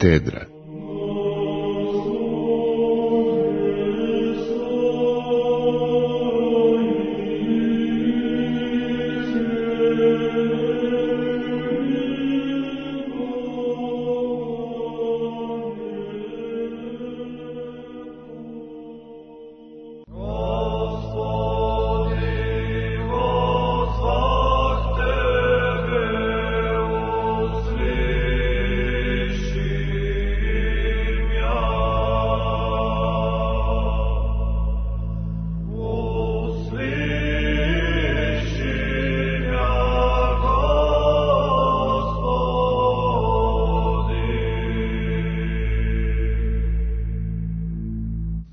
katedra.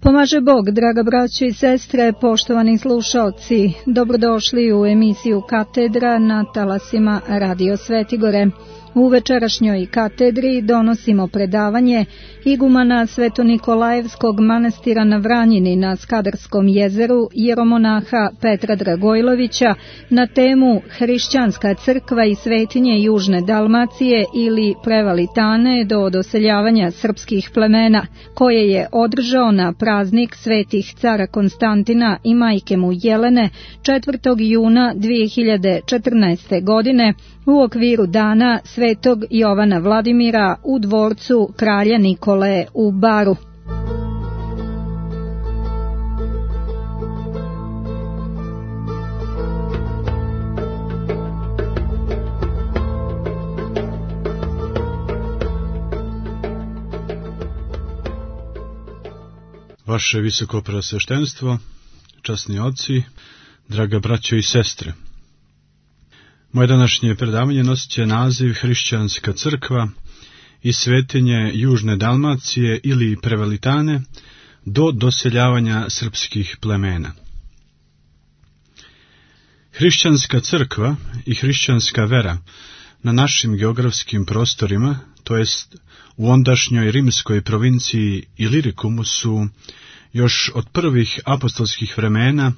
Pomaže Bog, draga braćo i sestre, poštovani slušaoci, dobrodošli u emisiju Katedra na talasima Radio Svetigore. U večerašnjoj katedri donosimo predavanje igumana Svetonikolajevskog manastira na Vranjini na Skadarskom jezeru jeromonaha Petra Dragojlovića na temu Hrišćanska crkva i svetinje Južne Dalmacije ili Prevalitane do doseljavanja srpskih plemena, koje je održao na praznik svetih cara Konstantina i majke mu Jelene 4. juna 2014. godine u okviru dana Svetog Jovana Vladimira u dvorcu kralja Nikole u Baru. Vaše visoko preosveštenstvo, časni oci, draga braćo i sestre. Moje današnje predavanje nosit će naziv Hrišćanska crkva i svetinje Južne Dalmacije ili Prevalitane do doseljavanja srpskih plemena. Hrišćanska crkva i hrišćanska vera na našim geografskim prostorima, to jest u ondašnjoj rimskoj provinciji Ilirikumu, su još od prvih apostolskih vremena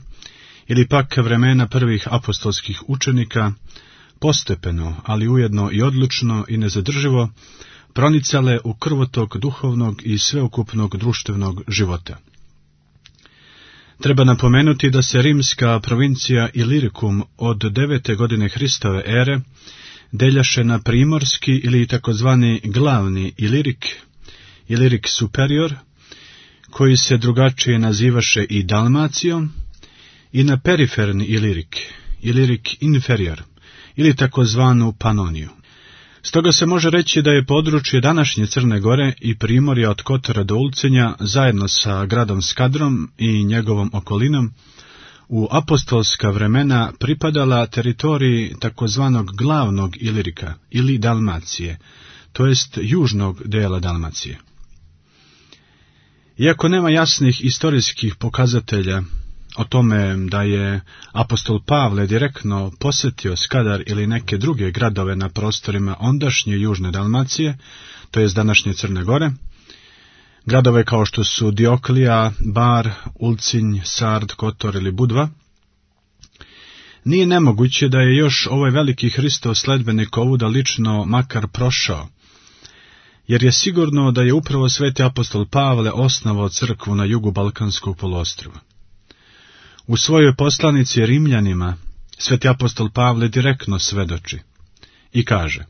ili pak vremena prvih apostolskih učenika postepeno, ali ujedno i odlučno i nezadrživo pronicale u krvotok duhovnog i sveukupnog društvenog života. Treba napomenuti da se rimska provincija Ilirikum od 9. godine Hristove ere deljaše na primorski ili takozvani glavni Ilirik superior, koji se drugačije nazivaše i Dalmacijom, i na periferni Ilirik inferior, ili takozvanu Panoniju. Stoga se može reći da je područje današnje Crne Gore i primorja od Kotora do Ulcinja, zajedno sa gradom Skadrom i njegovom okolinom, u apostolska vremena pripadala teritoriji takozvanog glavnog Ilirika ili Dalmacije, to jest južnog dela Dalmacije. Iako nema jasnih istorijskih pokazatelja o tome da je apostol Pavle direktno posjetio Skadar ili neke druge gradove na prostorima ondašnje Južne Dalmacije, to jest današnje Crne Gore, gradove kao što su Dioklija, Bar, Ulcinj, Sard, Kotor ili Budva, nije nemoguće da je još ovaj veliki Hristov sledbenik ovuda lično makar prošao, jer je sigurno da je upravo sveti apostol Pavle osnovao crkvu na jugu Balkanskog poluostrva. U svojoj poslanici Rimljanima sveti apostol Pavle direktno svedoči i kaže: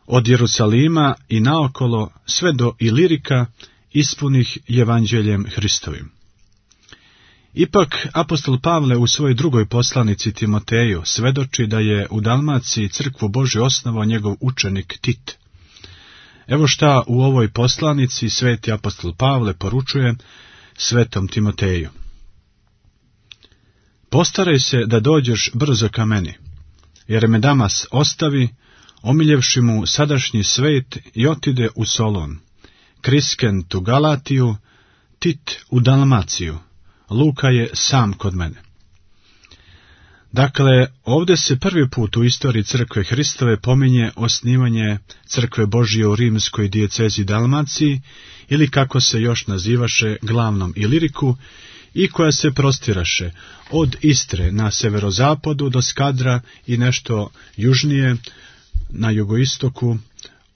od Jerusalima i naokolo sve do Ilirika ispunih evanđeljem Hristovim. Ipak apostol Pavle u svojoj drugoj poslanici Timoteju svedoči da je u Dalmaciji crkvu Božju osnovao njegov učenik Tit. Evo šta u ovoj poslanici sveti apostol Pavle poručuje svetom Timoteju: postaraj se da dođeš brzo ka meni, jer me Damas ostavi, omiljevši mu sadašnji svet, i otide u Solon, Kriskent u Galatiju, Tit u Dalmaciju, Luka je sam kod mene. Dakle, ovdje se prvi put u istoriji crkve Hristove pominje osnivanje crkve Božje u rimskoj dijecezi Dalmaciji, ili kako se još nazivaše glavnom Iliriku, i koja se prostiraše od Istre na severozapadu do Skadra i nešto južnije na jugoistoku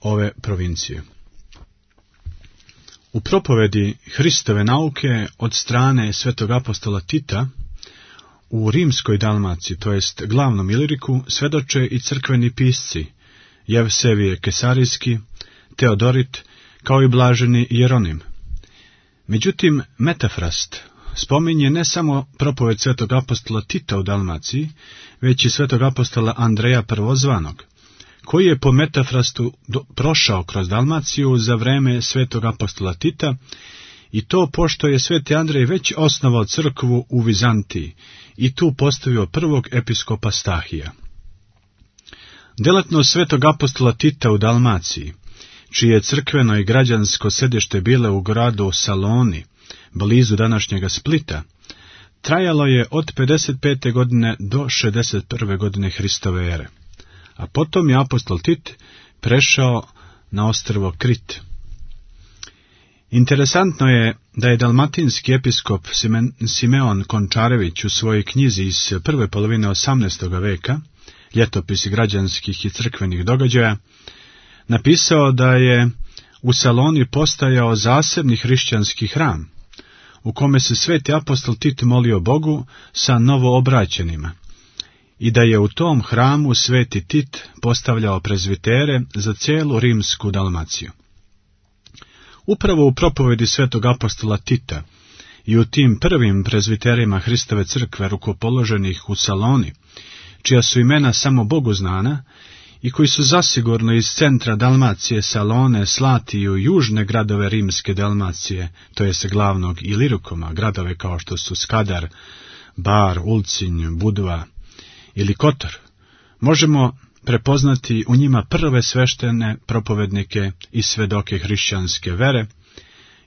ove provincije. U propovedi Hristove nauke od strane svetog apostola Tita u rimskoj Dalmaciji, to jest glavnom Iliriku, svedoče i crkveni pisci Jevsevije Kesarijski, Teodorit, kao i blaženi Jeronim. Međutim, Metafrast spominje ne samo propoved svetog apostola Tita u Dalmaciji, već i svetog apostola Andreja Prvozvanog, koji je po Metafrastu prošao kroz Dalmaciju za vreme svetog apostola Tita, i to pošto je sveti Andrej već osnovao crkvu u Vizantiji i tu postavio prvog episkopa Stahija. Delatnost svetog apostola Tita u Dalmaciji, čije crkveno i građansko sedište bile u gradu Saloni, blizu današnjega Splita, trajalo je od 55. godine do 61. godine Hristove ere, a potom je apostol Tit prešao na ostrvo Krit. Interesantno je da je dalmatinski episkop Simeon Končarević u svojoj knjizi iz prve polovine 18. veka, Ljetopisi građanskih i crkvenih događaja, napisao da je u Saloni postajao zasebni hrišćanski hram, u kome se sveti apostol Tit molio Bogu sa novoobraćenima, i da je u tom hramu sveti Tit postavljao prezvitere za cijelu rimsku Dalmaciju. Upravo u propovedi svetog apostola Tita i u tim prvim prezviterima Hristove crkve rukopoloženih u Saloni, čija su imena samo Bogu znana i koji su zasigurno iz centra Dalmacije, Salone, slati i u južne gradove rimske Dalmacije, to jest glavnog Ilirikuma, gradove kao što su Skadar, Bar, Ulcinj, Budva ili Kotor, možemo prepoznati u njima prve sveštene propovednike i svedoke hrišćanske vere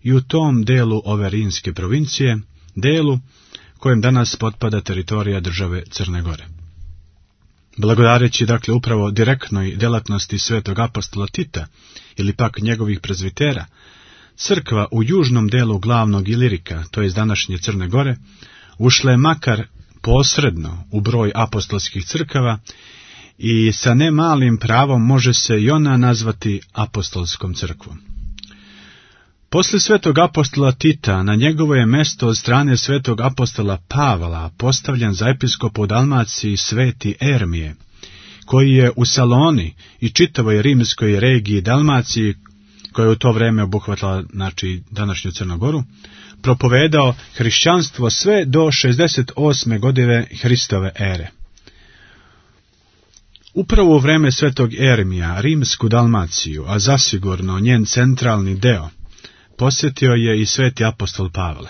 i u tom delu ove rimske provincije, delu kojem danas potpada teritorija države Crne Gore. Blagodareći dakle upravo direktnoj delatnosti svetog apostola Tita ili pak njegovih prezvitera, crkva u južnom delu glavnog Ilirika, to je današnje Crne Gore, ušla je makar posredno u broj apostolskih crkava i sa ne malim pravom može se i ona nazvati apostolskom crkvom. Poslije svetog apostola Tita na njegovo je mesto od strane svetog apostola Pavla postavljen za episkopa u Dalmaciji sveti Ermije, koji je u Saloni i čitavoj rimskoj regiji Dalmaciji, koja je u to vrijeme obuhvatila današnju Crnogoru, propovedao hrišćanstvo sve do 68. godine Hristove ere. Upravo u vrijeme svetog Ermija rimsku Dalmaciju, a zasigurno njen centralni deo, posjetio je i sveti apostol Pavle.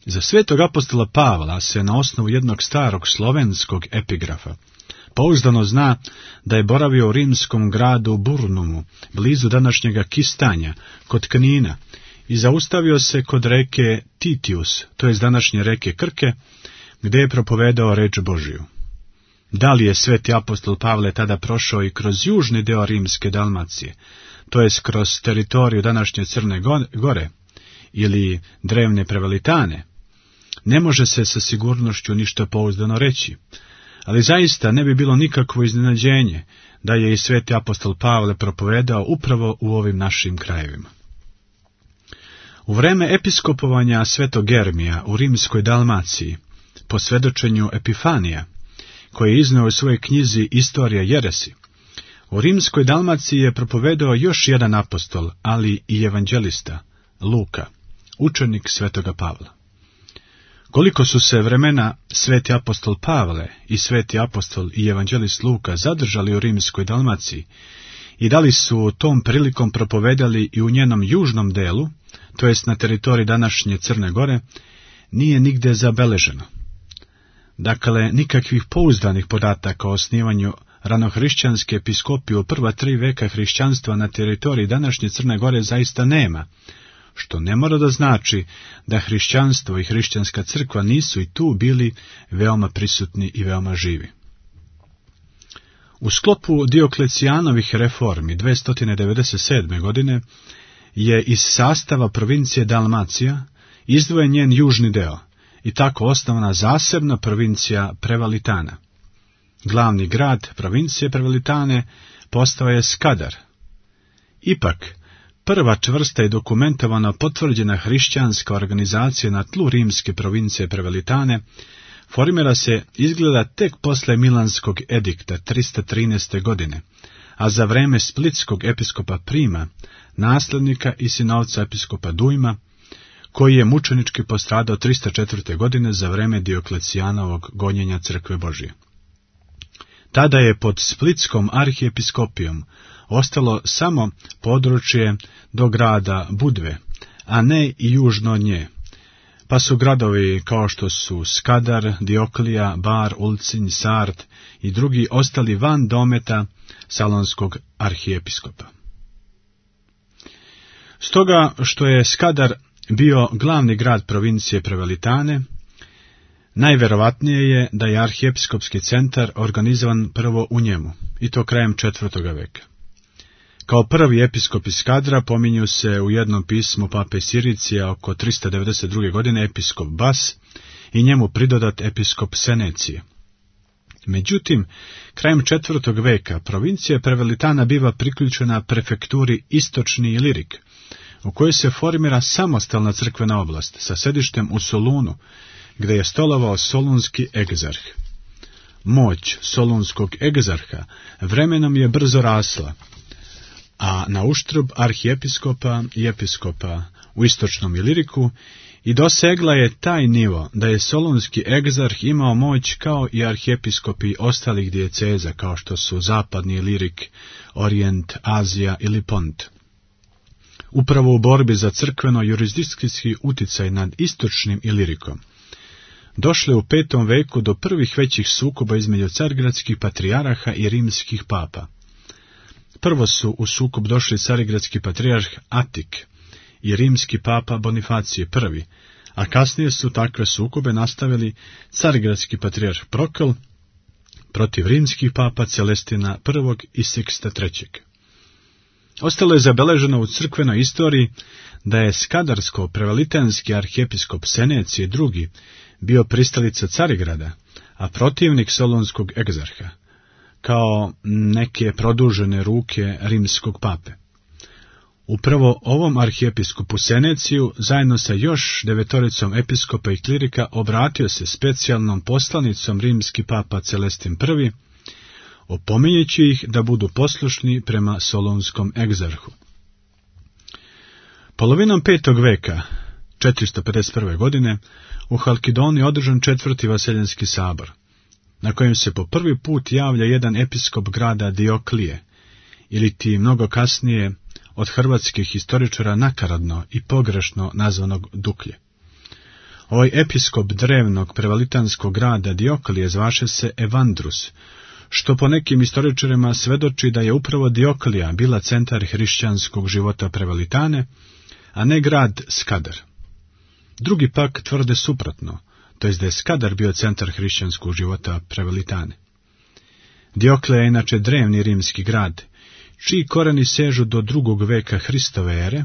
Za svetog apostola Pavla se na osnovu jednog starog slovenskog epigrafa pouzdano zna da je boravio u rimskom gradu Burnumu, blizu današnjega Kistanja, kod Knina, i zaustavio se kod reke Titius, to je današnje reke Krke, gdje je propovedao reč Božiju. Da li je sveti apostol Pavle tada prošao i kroz južni deo rimske Dalmacije, to jest kroz teritoriju današnje Crne Gore ili drevne Prevelitane, ne može se sa sigurnošću ništa pouzdano reći, ali zaista ne bi bilo nikakvo iznenađenje da je i sveti apostol Pavle propovedao upravo u ovim našim krajevima. U vreme episkopovanja svetog Ermija u rimskoj Dalmaciji, po svedočenju Epifanija, koji je izneo u svojoj knjizi Istorija jeresi, u rimskoj Dalmaciji je propovedao još jedan apostol, ali i evanđelista, Luka, učenik svetoga Pavla. Koliko su se vremena sveti apostol Pavle i sveti apostol i evanđelist Luka zadržali u rimskoj Dalmaciji i da li su tom prilikom propovedali i u njenom južnom delu, to jest na teritoriji današnje Crne Gore, nije nigde zabeleženo. Dakle, nikakvih pouzdanih podataka o osnivanju ranohrišćanske episkopije u prva 3 veka hrišćanstva na teritoriji današnje Crne Gore zaista nema, što ne mora da znači da hrišćanstvo i hrišćanska crkva nisu i tu bili veoma prisutni i veoma živi. U sklopu Dioklecijanovih reformi 297. godine je iz sastava provincije Dalmacija izdvojen njen južni deo i tako osnovana zasebna provincija Prevalitana. Glavni grad provincije Prevalitane postao je Skadar. Ipak, prva čvrsta i dokumentovana potvrđena hrišćanska organizacija na tlu rimske provincije Prevalitane formira se izgleda tek posle Milanskog edikta 313. godine, a za vreme splitskog episkopa Prima, naslednika i sinovca episkopa Dujma, koji je mučenički postradao 304. godine za vreme Dioklecijanovog gonjenja crkve Božije. Tada je pod splitskom arhiepiskopijom ostalo samo područje do grada Budve, a ne i južno od nje, pa su gradovi kao što su Skadar, Dioklija, Bar, Ulcinj, Sard i drugi ostali van dometa salonskog arhiepiskopa. Stoga što je Skadar bio glavni grad provincije Prevalitane, najverovatnije je da je arhiepiskopski centar organizovan prvo u njemu, i to krajem 4. veka. Kao prvi episkop iz Skadra pominju se u jednom pismu pape Siricija oko 392. godine episkop Bas i njemu pridodat episkop Senecije. Međutim, krajem 4. veka provincija Prevalitana biva priključena prefekturi Istočni Ilirik, u kojoj se formira samostalna crkvena oblast sa sedištem u Solunu, gdje je stolovao solunski egzarh. Moć solunskog egzarha vremenom je brzo rasla, a na uštrb arhiepiskopa i episkopa u Istočnom Iliriku i dosegla je taj nivo da je solunski egzarh imao moć kao i arhiepiskopi ostalih dijeceza, kao što su Zapadni Ilirik, Orijent, Azija ili Pont. Upravo u borbi za crkveno-jurisdikcijski uticaj nad Istočnim Ilirikom došlo je u 5. veku do prvih većih sukoba između carigradskih patrijaraha i rimskih papa. Prvo su u sukob došli carigradski patrijarh Atik i rimski papa Bonifacije I, a kasnije su takve sukobe nastavili carigradski patrijarh Prokl protiv rimskih papa Celestina I i Siksta III. Ostalo je zabeleženo u crkvenoj istoriji da je skadarsko-prevalitenski arhiepiskop Senecije II bio pristalica Carigrada, a protivnik solunskog egzarha, kao neke produžene ruke rimskog pape. Upravo ovom arhiepiskopu Seneciju, zajedno sa još 9 episkopa i klirika, obratio se specijalnom poslanicom rimski papa Celestin I, opominjući ih da budu poslušni prema solunskom egzarhu. Polovinom 5. veka, 451. godine, u Halkidoni je održan 4. Vaseljenski sabor, na kojem se po prvi put javlja jedan episkop grada Dioklije, ili ti mnogo kasnije od hrvatskih historičara nakaradno i pogrešno nazvanog Duklje. Ovaj episkop drevnog prevalitanskog grada Dioklije zvaše se Evandrus, što po nekim historičarima svedoči da je upravo Dioklija bila centar hrišćanskog života Prevalitane, a ne grad Skadar. Drugi pak tvrde suprotno, to jest da je Skadar bio centar hrišćanskog života Prevalitane. Dioklija je inače drevni rimski grad, čiji koreni sežu do 2. veka Hristove ere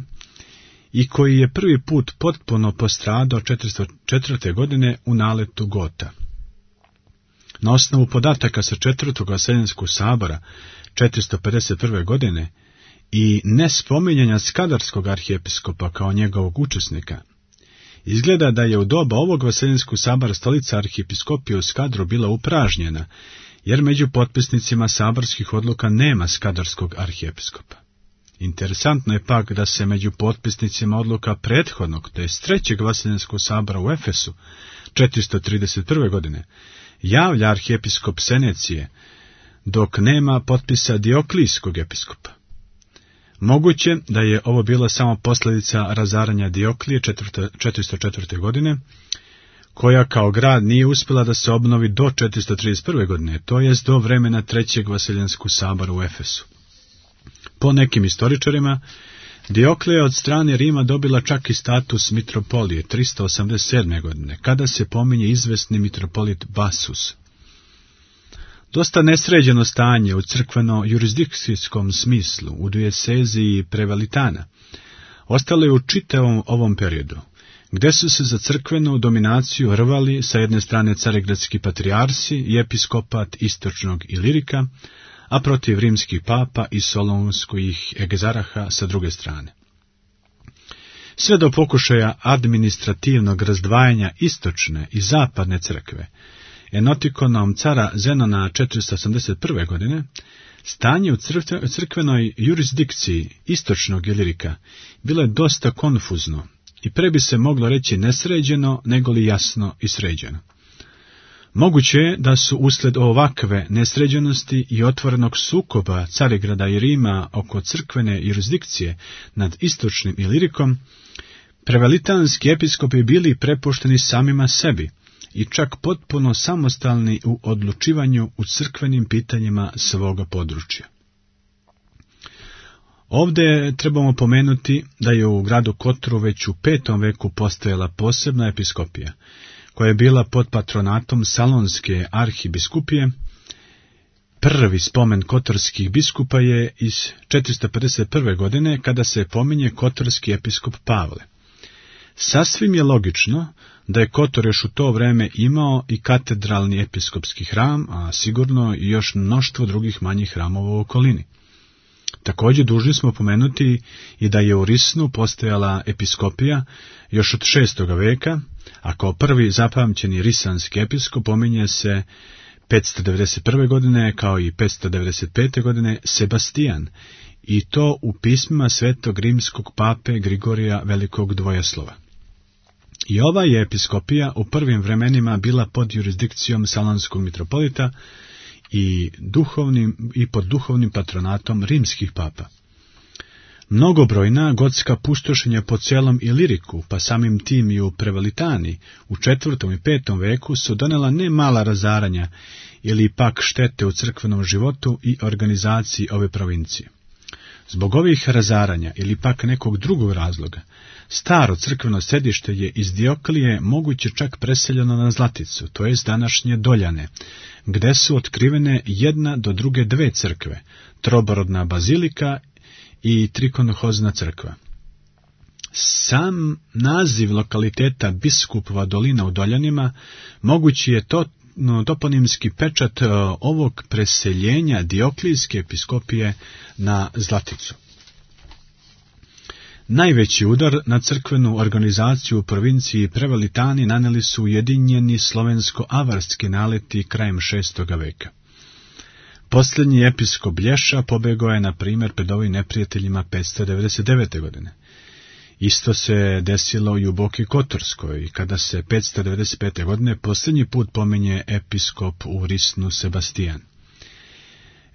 i koji je prvi put potpuno postradao 404. godine u naletu Gota. Na osnovu podataka sa 4. Vaseljenskog sabora 451. godine i nespominjanja skadarskog arhiepiskopa kao njegovog učesnika, izgleda da je u doba ovog Vaseljenskog sabora stolica arhiepiskopije u Skadru bila upražnjena, jer među potpisnicima saborskih odluka nema skadarskog arhiepiskopa. Interesantno je pak da se među potpisnicima odluka prethodnog, to je 3. Vaseljenskog sabora u Efesu 431. godine, javlja arhiepiskop Senecije, dok nema potpisa Dioklijskog episkopa. Moguće da je ovo bila samo posljedica razaranja Dioklije 404. godine, koja kao grad nije uspjela da se obnovi do 431. godine, to jest do vremena 3. Vaseljenskog sabora u Efesu. Po nekim historičarima, Dioklija je od strane Rima dobila čak i status mitropolije 387. godine, kada se pominje izvesni mitropolit Basus. Dosta nesređeno stanje u crkveno-jurisdikcijskom smislu u dieceziji Prevalitana ostalo je u čitavom ovom periodu, gdje su se za crkvenu dominaciju rvali sa jedne strane carigradski patrijarsi i episkopat Istočnog Ilirika, a protiv rimskih papa i solunskih egzaraha sa druge strane. sve do pokušaja administrativnog razdvajanja istočne i zapadne crkve, enotikonom cara Zenona 481. godine, stanje u crkvenoj jurisdikciji istočnog Ilirika bilo je dosta konfuzno i pre bi se moglo reći nesređeno, nego li jasno i sređeno. Moguće je da su usled ovakve nesređenosti i otvorenog sukoba Carigrada i Rima oko crkvene jurisdikcije nad istočnim Ilirikom, prevelitanski episkopi bili prepušteni samima sebi i čak potpuno samostalni u odlučivanju u crkvenim pitanjima svoga područja. Ovdje trebamo pomenuti da je u gradu Kotru već u 5. veku postojala posebna episkopija, koja je bila pod patronatom Salonske arhibiskupije. Prvi spomen kotorskih biskupa je iz 451. godine, kada se pominje kotorski episkop Pavle. Sasvim je logično da je Kotor još u to vreme imao i katedralni episkopski hram, a sigurno i još mnoštvo drugih manjih hramova u okolini. Također dužni smo pomenuti i da je u Risnu postojala episkopija još od 6. veka, a kao prvi zapamćeni risanski episkop pominje se 591. godine kao i 595. godine Sebastijan, i to u pismima svetog rimskog pape Grigorija Velikog Dvojeslova. I ova je episkopija u prvim vremenima bila pod jurisdikcijom salonskog mitropolita i pod duhovnim patronatom rimskih papa. Mnogobrojna gotska pustošenja po celom Iliriku, pa samim tim i u Prevalitani, u 4. i 5. veku su donela ne mala razaranja ili pak štete u crkvenom životu i organizaciji ove provincije. Zbog ovih razaranja ili pak nekog drugog razloga, staro crkveno sedište je iz Dioklije moguće čak preseljeno na Zlaticu, to jest današnje Doljane, gde su otkrivene jedna do druge dve crkve, troborodna bazilika i trikonohozna crkva. Sam naziv lokaliteta Biskupova dolina u Doljanima mogući je toponimski pečat ovog preseljenja Dioklijske episkopije na Zlaticu. Najveći udar na crkvenu organizaciju u provinciji Prevalitani naneli su ujedinjeni slovensko-avarski naleti krajem 6. veka. Posljednji episkop Blješa pobegao je, na primjer, pred ovim neprijateljima 599. godine. Isto se desilo i u Boki Kotorskoj, kada se 595. godine posljednji put pominje episkop u Risnu Sebastijan.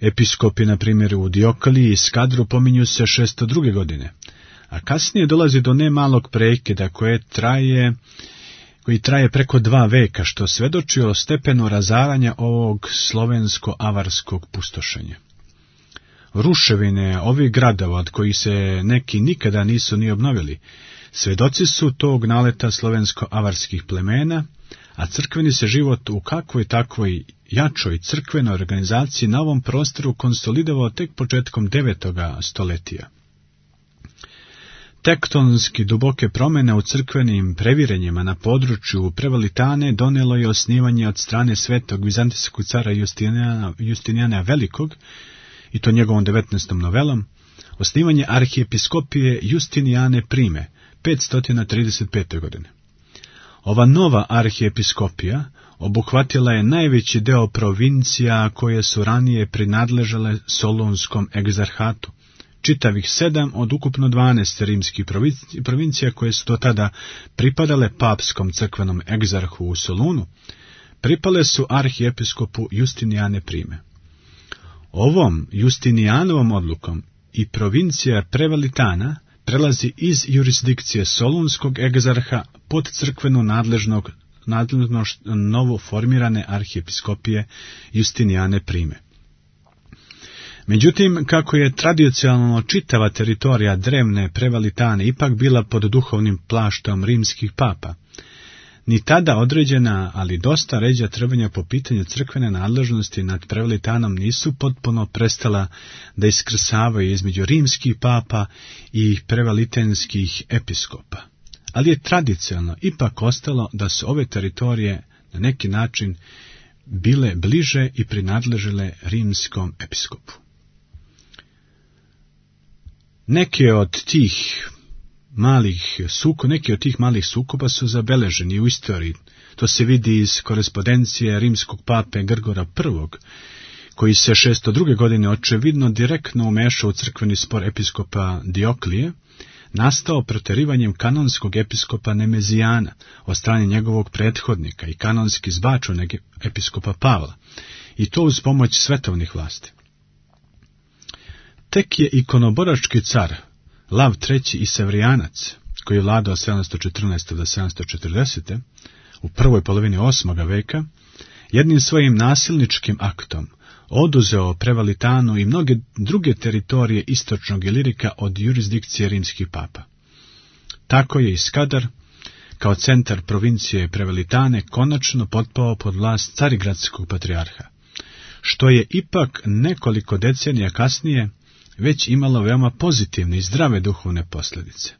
Episkopi, na primjer, u Diokliji i Skadru pominju se 602. godine, a kasnije dolazi do nemalog prekida koji traje preko 2 veka, što svedoči o stepenu razaranja ovog slovensko-avarskog pustošenja. Ruševine ovih gradova, od kojih se neki nikada nisu ni obnovili, svedoci su tog naleta slovensko-avarskih plemena, a crkveni se život u kakvoj takvoj jačoj crkvenoj organizaciji na ovom prostoru konsolidovao tek početkom 9. stoletija. Tektonski duboke promjene u crkvenim previrenjima na području Prevalitane donijelo je osnivanje od strane svetog vizantijskog cara Justinijana Velikog, i to njegovom 19. novelom, osnivanje arhiepiskopije Justinijane Prime, 535. godine. Ova nova arhiepiskopija obuhvatila je najveći deo provincija koje su ranije prinadležale Solunskom egzarhatu, čitavih 7 od ukupno 12 rimskih provincija koje su do tada pripadale papskom crkvenom egzarhu u Solunu, pripale su arhiepiskopu Justinijane Prime. Ovom Justinijanovom odlukom i provincija Prevalitana prelazi iz jurisdikcije Solunskog egzarha pod crkvenu nadležnost novo formirane arhiepiskopije Justinijane Prime. Međutim, kako je tradicionalno čitava teritorija drevne Prevalitane ipak bila pod duhovnim plaštom rimskih papa, ni tada određena, ali dosta ređa trvanja po pitanju crkvene nadležnosti nad Prevalitanom nisu potpuno prestala da iskrsavaju između rimskih papa i prevalitenskih episkopa. Ali je tradicionalno ipak ostalo da su ove teritorije na neki način bile bliže i prinadležile rimskom episkopu. Neke od tih neki od tih malih sukoba su zabeleženi u istoriji. To se vidi iz korespondencije rimskog pape Grgora I, koji se 602. godine očevidno direktno umešao u crkveni spor episkopa Dioklije, nastao proterivanjem kanonskog episkopa Nemezijana od strane njegovog prethodnika i kanonski zbačenog episkopa Pavla, i to uz pomoć svetovnih vlasti. Tek je ikonoborački car Lav III. I Sevrijanac, koji je vladao 714. do 740. u prvoj polovini 8. veka, jednim svojim nasilničkim aktom oduzeo Prevalitanu i mnoge druge teritorije istočnog Ilirika od jurisdikcije rimskih papa. Tako je i Skadar, kao centar provincije Prevalitane, konačno potpao pod vlast carigradskog patrijarha, što je ipak nekoliko decenija kasnije već imalo veoma pozitivne i zdrave duhovne posljedice.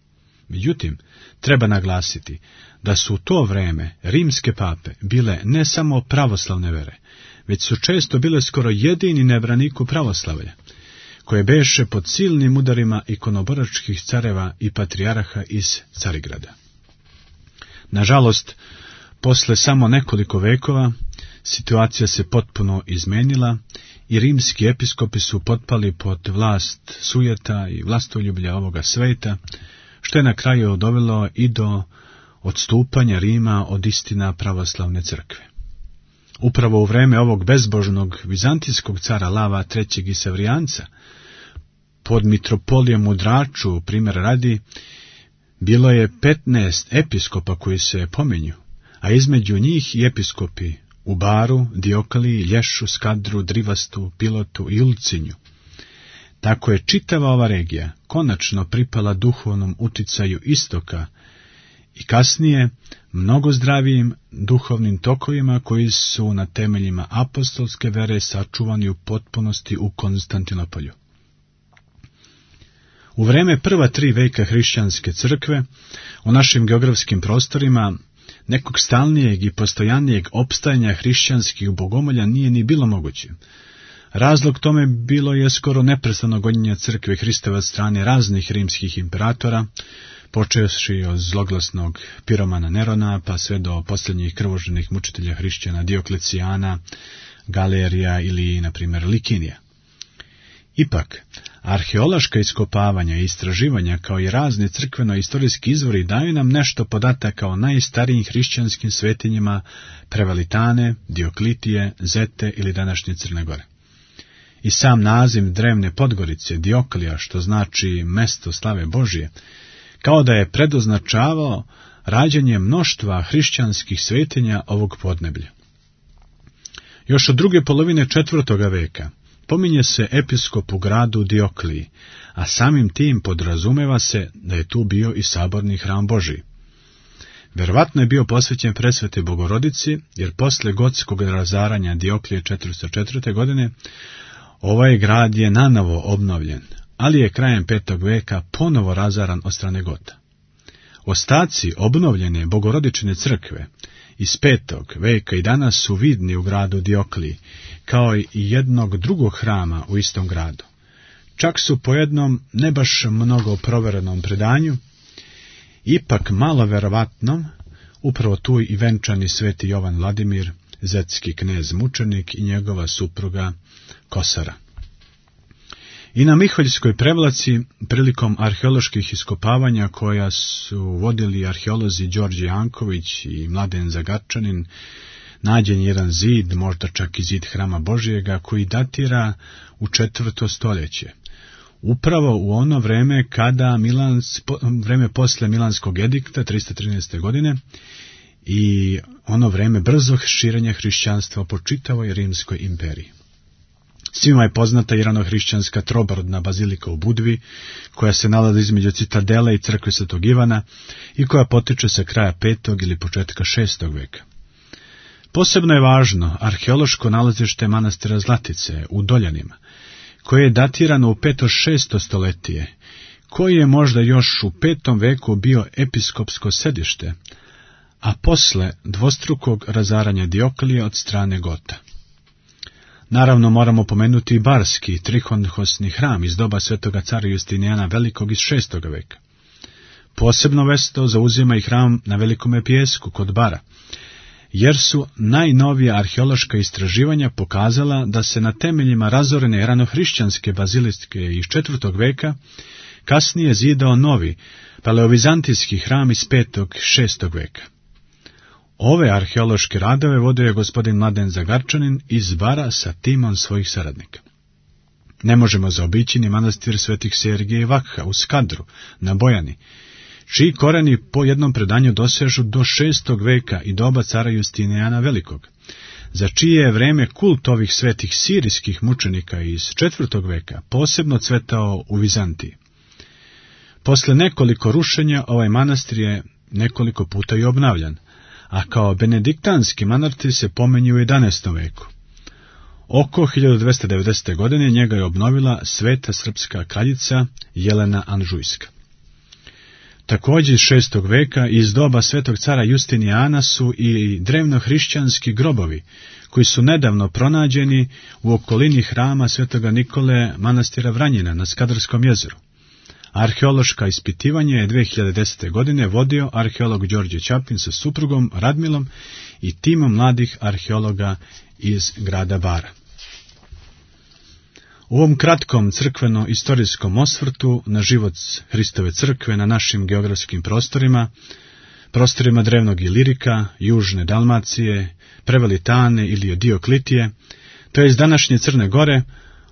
Međutim, treba naglasiti da su u to vreme rimske pape bile ne samo pravoslavne vere, već su često bile skoro jedini na braniku pravoslavlja, koje beše pod silnim udarima ikonoboračkih careva i patrijarha iz Carigrada. Nažalost, posle samo nekoliko vekova, situacija se potpuno izmenila i rimski episkopi su potpali pod vlast sujeta i vlastoljublja ovoga sveta, što je na kraju dovelo i do odstupanja Rima od istina pravoslavne crkve. Upravo u vreme ovog bezbožnog vizantijskog cara Lava III. I Sevrijanca, pod mitropolijom u Draču, primjer radi, bilo je 15 episkopa koji se pominju, a između njih i episkopi u Baru, Diokliji, Lješu, Skadru, Drivastu, Pilotu i Ulcinju. Tako je čitava ova regija konačno pripala duhovnom uticaju istoka i kasnije mnogo zdravijim duhovnim tokovima koji su na temeljima apostolske vere sačuvani u potpunosti u Konstantinopolju. U vreme prva 3 veka hrišćanske crkve u našim geografskim prostorima nekog stalnijeg i postojanijeg opstajanja hrišćanskih bogomolja nije ni bilo moguće. Razlog tome bilo je skoro neprestano gonjenje crkve Hristove od strane raznih rimskih imperatora, počevši od zloglasnog piromana Nerona, pa sve do posljednjih krvoželjnih mučitelja hrišćana Dioklecijana, Galerija ili, na primjer, Likinija. Ipak, arheološka iskopavanja i istraživanja, kao i razni crkveno-istorijski izvori, daju nam nešto podataka o najstarijim hrišćanskim svetinjima Prevalitane, Dioklitije, Zete ili današnje Crne Gore. I sam naziv drevne Podgorice, Dioklija, što znači mesto slave Božje, kao da je predoznačavao rađanje mnoštva hrišćanskih svetinja ovog podneblja. Još od druge polovine 4. veka pominje se episkop u gradu Diokliji, a samim tim podrazumeva se da je tu bio i saborni hram Božji. Verovatno je bio posvećen presvete Bogorodici, jer posle gotskog razaranja Dioklije 404. godine ovaj grad je nanovo obnovljen, ali je krajem 5. veka ponovo razaran od strane Gota. Ostaci obnovljene Bogorodičine crkve iz 5. veka i danas su vidni u gradu Diokliji, kao i jednog drugog hrama u istom gradu. Čak su po jednom ne baš mnogo proverenom predanju, ipak malo verovatnom, upravo tu i venčani sveti Jovan Vladimir, zetski knez mučenik i njegova supruga Kosara. I na Miholjskoj Prevlaci, prilikom arheoloških iskopavanja koja su vodili arheolozi Đorđe Janković i Mladen Zagarčanin, nađen jedan zid, možda čak i zid hrama Božjega, koji datira u 4. stoljeće. Upravo u ono vreme kada vreme posle Milanskog edikta 313. godine i ono vreme brzog širenja hrišćanstva po čitavoj Rimskoj imperiji. Svima je poznata i ranohrišćanska trobarodna bazilika u Budvi, koja se nalazi između citadele i crkve Svetog Ivana i koja potiče sa kraja 5. ili početka 6. veka. Posebno je važno arheološko nalazište manastira Zlatice u Doljanima, koje je datirano u 5. 6. stoletije, koji je možda još u 5. veku bio episkopsko sedište, a posle dvostrukog razaranja Dioklije od strane Gota. Naravno moramo pomenuti i barski trihonhosni hram iz doba svetoga cara Justinijana Velikog iz 6. veka. Posebno mesto zauzima i hram na Velikome Pijesku kod Bara, jer su najnovija arheološka istraživanja pokazala da se na temeljima razorene ranohrišćanske baziliske iz 4. veka kasnije zidao novi paleovizantijski hram iz 5. i 6. veka. Ove arheološke radove vodio je gospodin Mladen Zagarčanin iz Bara sa timom svojih saradnika. Ne možemo zaobići ni manastir svetih Sergija i Vakha u Skadru, na Bojani, čiji koreni po jednom predanju dosežu do 6. veka i doba cara Justinijana Velikog, za čije je vreme kult ovih svetih sirijskih mučenika iz 4. veka posebno cvetao u Vizantiji. Posle nekoliko rušenja ovaj manastir je nekoliko puta i obnavljan, a kao benediktanski manastir se pominje u 11. veku. Oko 1290. godine njega je obnovila sveta srpska kraljica Jelena Anžujska. Također iz 6. veka iz doba svetog cara Justinijana su i drevnohrišćanski grobovi, koji su nedavno pronađeni u okolini hrama svetoga Nikole manastira Vranjina na Skadarskom jezeru. Arheološka ispitivanja je 2010. godine vodio arheolog Đorđe Ćapin sa suprugom Radmilom i timom mladih arheologa iz grada Bara. U ovom kratkom crkveno-istorijskom osvrtu na život Hristove crkve na našim geografskim prostorima drevnog Ilirika, južne Dalmacije, Prevelitane ili Dioklitije, to je iz današnje Crne Gore,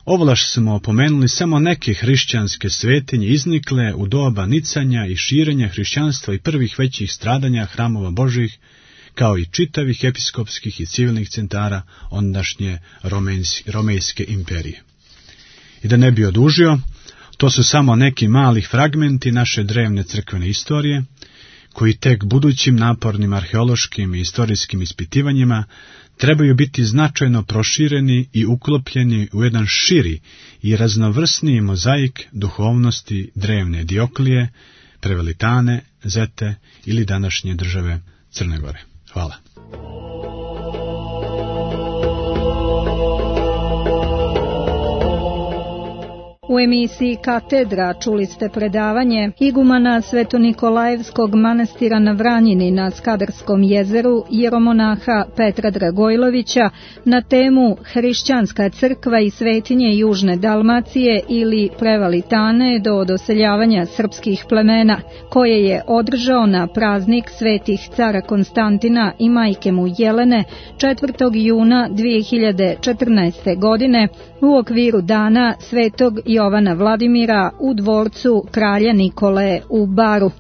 ovlaš smo opomenuli samo neke hrišćanske svetinje iznikle u doba nicanja i širenja hrišćanstva i prvih većih stradanja hramova Božih, kao i čitavih episkopskih i civilnih centara ondašnje Romejske imperije. I da ne bi odužio, to su samo neki mali fragmenti naše drevne crkvene istorije, koji tek budućim napornim arheološkim i istorijskim ispitivanjima trebaju biti značajno prošireni i uklopljeni u jedan širi i raznovrsniji mozaik duhovnosti drevne Dioklije, Prevelitane, Zete ili današnje države Crne Gore. Hvala. U emisiji Katedra čuli ste predavanje igumana Svetonikolajevskog manastira na Vranjini na Skadarskom jezeru jeromonaha Petra Dragojlovića na temu Hrišćanska crkva i svetinje Južne Dalmacije ili Prevalitane do doseljavanja srpskih plemena, koje je održao na praznik svetih cara Konstantina i majke mu Jelene 4. juna 2014. godine u okviru dana Svetog Jovana Vladimira u dvorcu kralja Nikole u Baru.